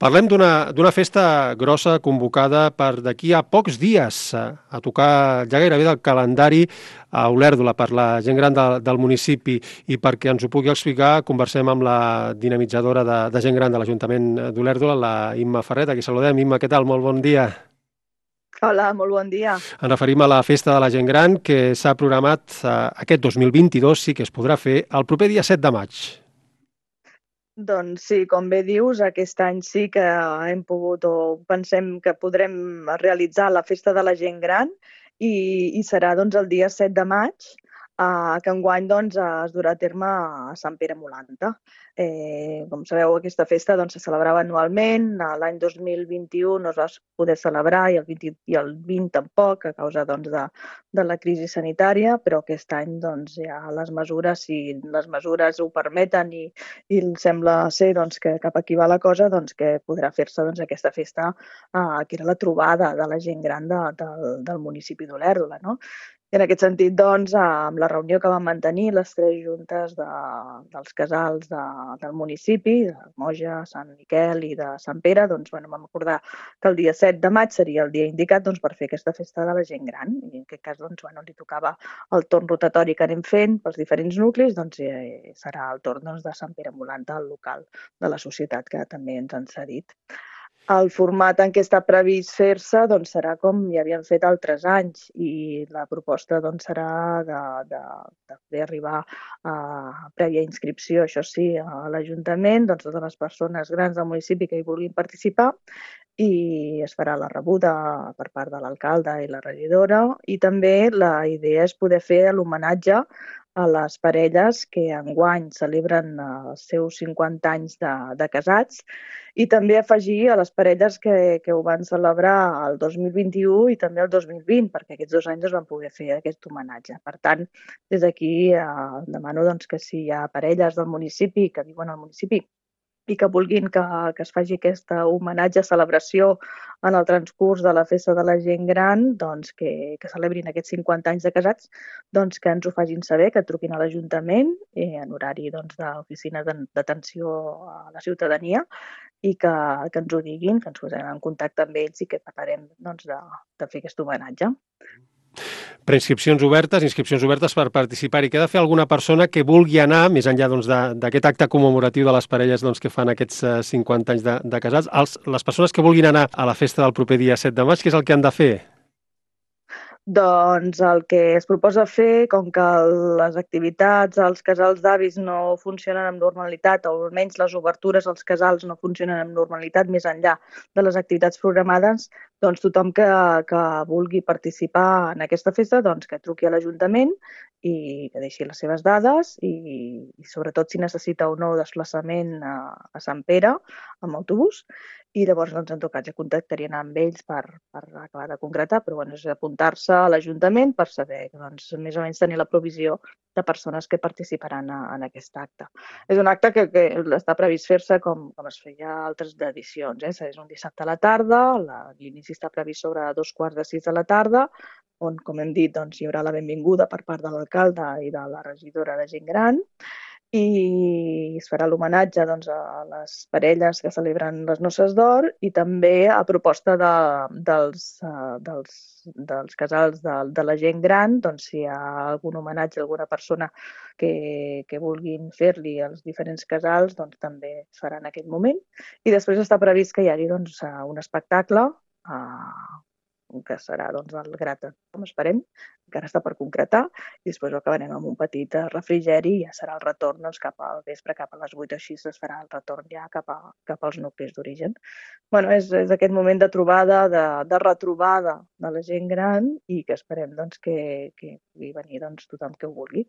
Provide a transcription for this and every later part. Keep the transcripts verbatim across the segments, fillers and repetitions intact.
Parlem d'una d'una festa grossa convocada per d'aquí a pocs dies, a, a tocar ja gairebé del calendari a Olèrdola per la gent gran de, del municipi, i perquè ens ho pugui explicar conversem amb la dinamitzadora de, de gent gran de l'Ajuntament d'Olèrdola, la Imma Ferret. Aquí saludem. Imma, què tal? Molt bon dia. Hola, molt bon dia. Ens referim a la Festa de la Gent Gran, que s'ha programat eh, aquest dos mil vint-i-dos, sí que es podrà fer el proper dia set de maig. Doncs sí, com bé dius, aquest any sí que hem pogut o pensem que podrem realitzar la Festa de la Gent Gran i, i serà doncs, el dia set de maig, eh, que enguany doncs, es durà a terme a Sant Pere Molanta. Eh, com sabeu, aquesta festa doncs, se celebrava anualment. L'any dos mil vint-i-u no es va poder celebrar i el vint, i el vint tampoc, a causa doncs, de, de la crisi sanitària, però aquest any doncs, ja les mesures, si les mesures ho permeten i, i sembla ser doncs, que cap aquí va la cosa, doncs, que podrà fer-se doncs, aquesta festa, eh, que era la trobada de la gent gran de, de, del municipi d'Olèrdola. No? I en aquest sentit, doncs, amb la reunió que vam mantenir les tres juntes de, dels casals de, del municipi, de Moja, Sant Miquel i de Sant Pere, doncs, bueno, vam acordar que el dia set de maig seria el dia indicat doncs, per fer aquesta festa de la gent gran. I en aquest cas doncs, bueno, li tocava el torn rotatori que anem fent pels diferents nuclis, doncs eh, serà el torn doncs, de Sant Pere Molanta, el local de la societat que també ens han cedit. El format en què està previst fer-se doncs, serà com ja havien fet altres anys, i la proposta doncs, serà de, de, de fer arribar a prèvia inscripció, això sí, a l'Ajuntament, doncs, totes les persones grans del municipi que hi vulguin participar, i es farà la rebuda per part de l'alcalde i la regidora, i també la idea és poder fer l'homenatge a les parelles que enguany celebren els seus cinquanta anys de, de casats, i també afegir a les parelles que, que ho van celebrar el dos mil vint-i-u i també el dos mil vint, perquè aquests dos anys es van poder fer aquest homenatge. Per tant, des d'aquí eh, demano doncs, que si hi ha parelles del municipi que viuen al municipi i que vulguin que, que es faci aquesta homenatge, celebració en el transcurs de la festa de la gent gran, doncs que, que celebrin aquests cinquanta anys de casats, doncs que ens ho facin saber, que truquin a l'Ajuntament eh, en horari doncs, d'oficina d'atenció a la ciutadania, i que, que ens ho diguin, que ens posem en contacte amb ells i que parlarem doncs, de, de fer aquest homenatge. Preinscripcions obertes, inscripcions obertes per participar-hi. Queda fer alguna persona que vulgui anar, més enllà doncs, d'aquest acte commemoratiu de les parelles doncs, que fan aquests uh, cinquanta anys de, de casats, els, les persones que vulguin anar a la festa del proper dia set de maig, què és el que han de fer? Doncs el que es proposa fer, com que les activitats als casals d'avis no funcionen amb normalitat, o almenys les obertures als casals no funcionen amb normalitat més enllà de les activitats programades, doncs tothom que, que vulgui participar en aquesta festa, doncs que truqui a l'Ajuntament i que deixi les seves dades i, i sobretot si necessita o no desplaçament a, a Sant Pere amb autobús, i llavors doncs, en tot cas ja contactarien amb ells per, per acabar de concretar, però bueno, és apuntar-se a l'Ajuntament per saber, doncs, més o menys tenir la provisió de persones que participaran a, en aquest acte. És un acte que, que està previst fer-se com, com es feia altres edicions, eh? És un dissabte a la tarda, l'inici està previst sobre dos quarts de sis de la tarda, on, com hem dit, doncs, hi haurà la benvinguda per part de l'alcalde i de la regidora de gent gran, i es farà l'homenatge doncs, a les parelles que celebren les noces d'or, i també a proposta de, dels, uh, dels, dels casals de, de la gent gran, doncs, si hi ha algun homenatge a alguna persona que, que vulguin fer-li als diferents casals, doncs, també es farà en aquest moment. I després està previst que hi hagi doncs, un espectacle uh, que serà doncs, el Grata, com esperem, encara està per concretar, i després ho acabarem amb un petit refrigeri i ja serà el retorn doncs, cap al vespre, cap a les vuit o així es farà el retorn ja cap, a, cap als nuclis d'origen. Bueno, és, és aquest moment de trobada, de, de retrobada de la gent gran, i que esperem doncs, que, que pugui venir doncs, tothom que ho vulgui.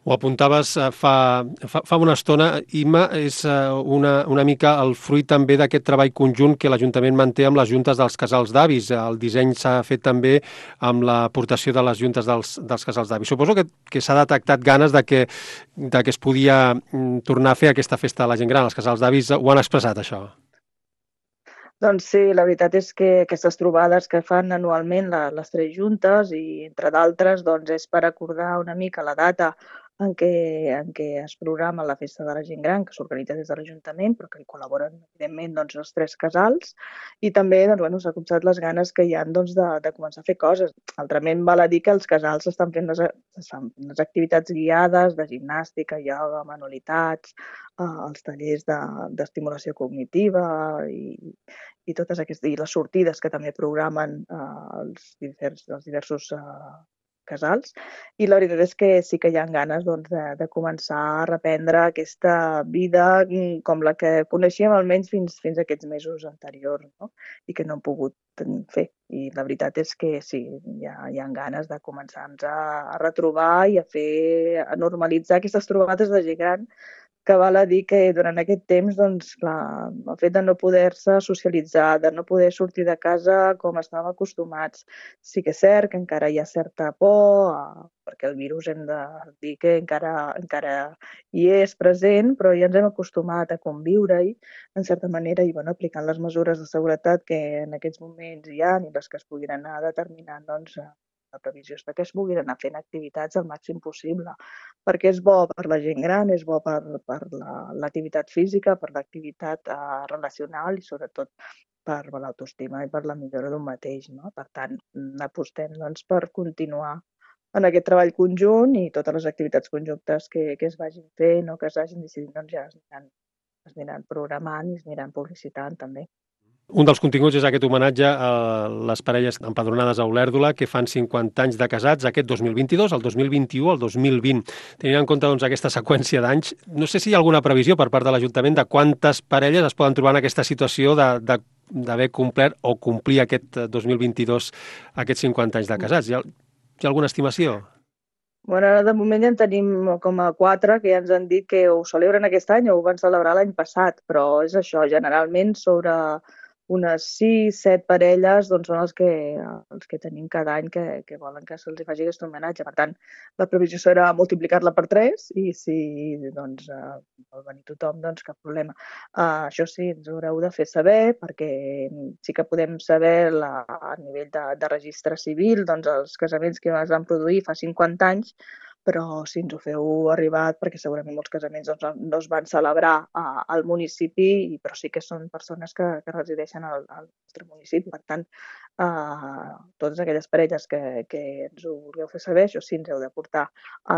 Ho apuntaves eh, fa, fa, fa una estona, Imma, és eh, una, una mica el fruit també d'aquest treball conjunt que l'Ajuntament manté amb les juntes dels casals d'avis. El disseny s'ha fet també amb l'aportació de les juntes dels, dels casals d'avis. Suposo que, que s'ha detectat ganes de que, de que es podia mm, tornar a fer aquesta festa de la gent gran. Els casals d'avis ho han expressat, això. Doncs sí, la veritat és que aquestes trobades que fan anualment la, les tres juntes, i entre d'altres doncs és per acordar una mica la data en què, en què es programa la festa de la gent gran, que s'organitza des de l'Ajuntament, però que hi col·laboren, evidentment, doncs, els tres casals, i també doncs, bueno, s'ha copsat les ganes que hi ha doncs, de, de començar a fer coses. Altrament, val a dir que els casals estan fent les, estan fent les activitats guiades de gimnàstica, ioga, manualitats, eh, els tallers d'estimulació de, cognitiva i, i totes aquestes, i les sortides que també programen eh, els, divers, els diversos eh, casals, i la veritat és que sí que hi ha ganes doncs, de, de començar a reprendre aquesta vida com la que coneixíem almenys fins, fins a aquests mesos anteriors, no? I que no hem pogut fer. I la veritat és que sí, hi ha, hi ha ganes de començar-nos a, a retrobar i a fer, a normalitzar aquestes trobades de gent gran, que val a dir que durant aquest temps, doncs, clar, el fet de no poder-se socialitzar, de no poder sortir de casa com estàvem acostumats, sí que és cert que encara hi ha certa por, eh, perquè el virus hem de dir que encara, encara hi és present, però ja ens hem acostumat a conviure-hi, en certa manera, i bueno, aplicant les mesures de seguretat que en aquests moments hi ha i les que es puguin anar determinant, doncs, la previsió és que es puguin anar fent activitats al màxim possible, perquè és bo per la gent gran, és bo per, per l'activitat física, per l'activitat eh, relacional i sobretot per l'autoestima i per la millora d'un mateix. No? Per tant, apostem doncs, per continuar en aquest treball conjunt i totes les activitats conjuntes que, que es vagin fent o que es vagin decidint, doncs ja es aniran, es aniran programant i es aniran publicitant també. Un dels continguts és aquest homenatge a les parelles empadronades a Olèrdola que fan cinquanta anys de casats aquest dos mil vint-i-dos, el dos mil vint-i-u, el dos mil vint. Tenint en compte doncs, aquesta seqüència d'anys, no sé si hi ha alguna previsió per part de l'Ajuntament de quantes parelles es poden trobar en aquesta situació de, de d'haver complert o complir aquest dos mil vint-i-dos aquests cinquanta anys de casats. Hi ha, hi ha alguna estimació? Bueno, ara de moment ja en tenim com a quatre que ja ens han dit que ho celebren aquest any o ho van celebrar l'any passat, però és això, generalment sobre unes sis, set parelles doncs, són els que, els que tenim cada any que, que volen que se'ls faci aquest homenatge. Per tant, la previsió serà multiplicar-la per tres i si doncs, uh, vol venir tothom, doncs cap problema. Uh, això sí, ens ho haureu de fer saber perquè sí que podem saber la, a nivell de, de registre civil doncs, els casaments que es van produir fa cinquanta anys, però si ens ho feu arribar, perquè segurament molts casaments doncs, no es van celebrar a, al municipi, però sí que són persones que, que resideixen al, al nostre municipi. Per tant, eh, totes aquelles parelles que, que ens ho vulgueu fer saber, això sí, ens heu de portar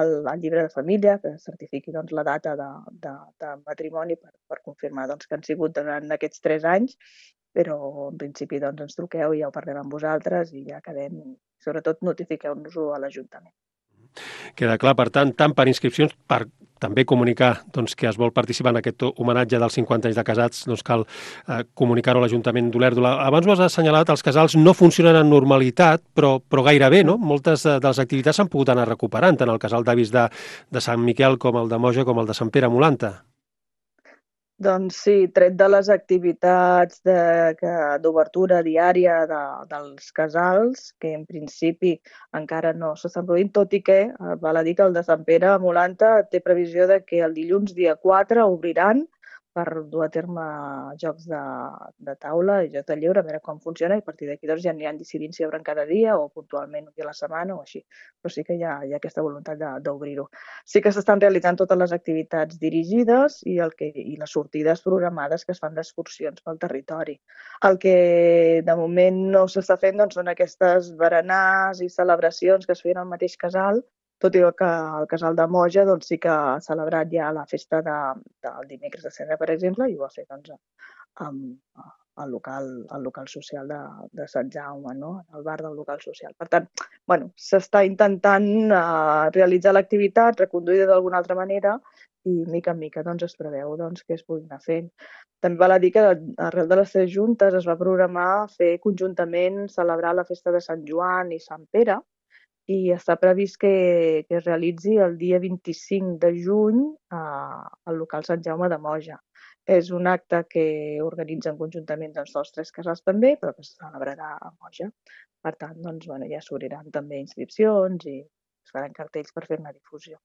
el, el llibre de família, que certifiqui doncs, la data de, de, de matrimoni per, per confirmar doncs, que han sigut durant aquests tres anys, però en principi doncs, ens truqueu i ja ho parlem amb vosaltres i ja quedem, sobretot notifiqueu-nos-ho a l'Ajuntament. Queda clar, per tant, tant per inscripcions, per també comunicar doncs, que es vol participar en aquest homenatge dels cinquanta anys de casats, doncs cal eh, comunicar-ho a l'Ajuntament d'Olèrdola. Abans ho has assenyalat, els casals no funcionen en normalitat, però, però gairebé, no? Moltes de les activitats s'han pogut anar recuperant, tant el casal d'avis de, de Sant Miquel com el de Moja com el de Sant Pere Molanta. Doncs sí, tret de les activitats d'obertura diària de, dels casals, que en principi encara no s'estan produint, tot i que eh, val a dir que el de Sant Pere Molanta té previsió de que el dilluns dia quatre obriran per dur a terme jocs de, de taula i jocs de lleure, a veure com funciona, i a partir d'aquí doncs, ja aniran decidint si obren cada dia o puntualment un dia a la setmana o així. Però sí que hi ha, hi ha aquesta voluntat d'obrir-ho. Sí que s'estan realitzant totes les activitats dirigides i, el que, i les sortides programades que es fan d'excursions pel territori. El que de moment no s'està fent doncs, són aquestes berenars i celebracions que es feien al mateix casal, tot i que el casal de Moja doncs, sí que ha celebrat ja la festa de, del dimecres de Cendra, per exemple, i ho ha fet doncs, amb el local, el local social de, de Sant Jaume, no? El bar del local social. Per tant, bueno, s'està intentant uh, realitzar l'activitat, reconduïda d'alguna altra manera, i mica en mica doncs, es preveu doncs, que es puguin anar fent. També val a dir que arrel de les tres juntes es va programar fer conjuntament celebrar la festa de Sant Joan i Sant Pere, i està previst que, que es realitzi el dia vint-i-cinc de juny a, al local Sant Jaume de Moja. És un acte que organitzen conjuntament doncs, els tres casals també, però que se celebrarà a Moja. Per tant, doncs, bueno, ja s'obriran també inscripcions i es faran cartells per fer-ne difusió.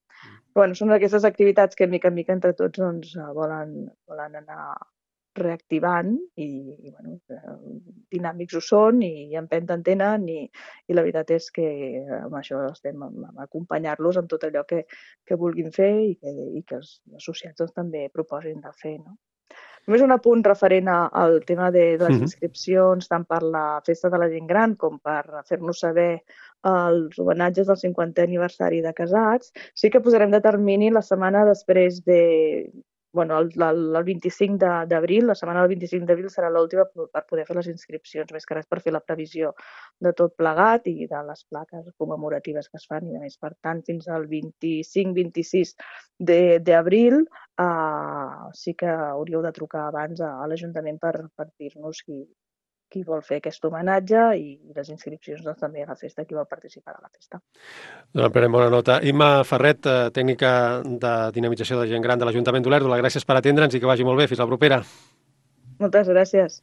Però, bueno, són aquestes activitats que mica en mica entre tots doncs, volen, volen anar reactivant i, i bueno, dinàmics ho són i empenta en tenen i, i la veritat és que amb això estem a, a acompanyar-los en tot allò que, que vulguin fer i que, i que els associats doncs, també proposin de fer. No? Només un apunt referent al tema de, de les inscripcions, tant per la Festa de la Gent Gran com per fer-nos saber els homenatges del cinquantè aniversari de casats. Sí que posarem de termini la setmana després de... Bueno, el, el, el vint-i-cinc d'abril, la setmana del vint-i-cinc d'abril serà l'última per poder fer les inscripcions, més que res per fer la previsió de tot plegat i de les plaques commemoratives que es fan i a més. Per tant, fins al vint-i-cinc vint-i-sis d'abril eh, sí que hauríeu de trucar abans a, a l'Ajuntament per, per dir-nos qui, qui vol fer aquest homenatge i les inscripcions doncs, també a la festa, qui vol participar a la festa. Doncs prenem bona nota. Imma Ferret, tècnica de dinamització de gent gran de l'Ajuntament d'Olèrdola, gràcies per atendre'ns i que vagi molt bé. Fins la propera. Moltes gràcies.